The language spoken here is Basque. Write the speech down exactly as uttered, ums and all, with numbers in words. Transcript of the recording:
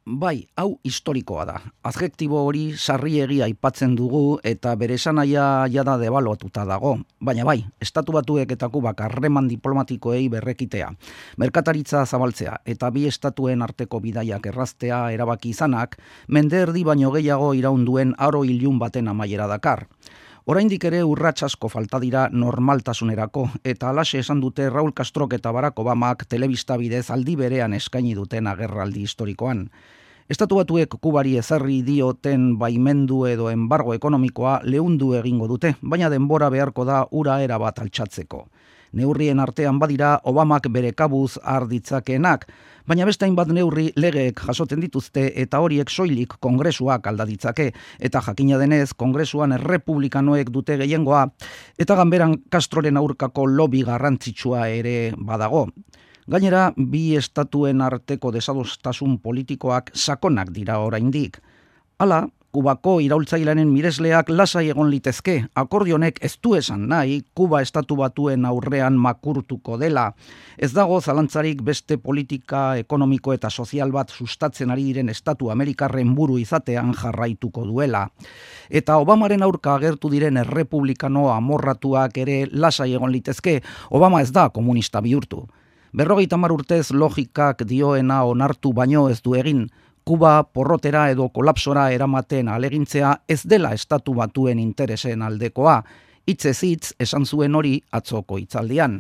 Bai, hau historikoa da. Adjektibo hori sarriegi aipatzen dugu eta bere esanahia jada debaluatuta dago. Baina bai, Estatu Batuek eta Kubak harreman diplomatikoei berrekitea, merkataritza zabaltzea eta bi estatuen arteko bidaiak erraztea erabaki izanak, mende erdi baino gehiago iraun duen aro ilun baten amaiera dakar. Oraindik ere urrats asko falta dira normaltasunerako eta halaxe esan dute Raul Castrok eta Barack Obamak telebista bidez aldi berean eskaini duten agerraldi historikoan. Estatu Batuek Kubari ezarri dioten baimendu edo enbargo ekonomikoa leundu egingo dute, baina denbora beharko da ura erabat altxatzeko. Neurrien artean badira Obamak bere kabuz har ditzakeenak, baina beste hainbat neurri legeek jasotzen dituzte eta horiek soilik Kongresuak alda ditzake, eta jakina denez Kongresuan errepublikanoek dute gehiengoa, eta ganberan Castroren aurkako lobby garrantzitsua ere badago. Gainera, bi estatuen arteko desadostasun politikoak sakonak dira oraindik. Hala, Kubako iraultzailearen miresleak lasai egon litezke, akordionek ez du esan nahi Kuba Estatu Batuen aurrean makurtuko dela. Ez dago zalantzarik beste politika ekonomiko eta sozial bat sustatzen ari diren Estatu Amerikarren buru izatean jarraituko duela. Eta Obamaren aurka agertu diren errepublikano amorratuak ere lasai egon litezke, Obama ez da komunista bihurtu. Berrogeita hamar urtez logikak dioena onartu baino ez du egin, Kuba porrotera edo kolapsora eramaten alegintzea ez dela Estatu Batuen interesen aldekoa, hitzez hitz esan zuen hori atzoko hitzaldian.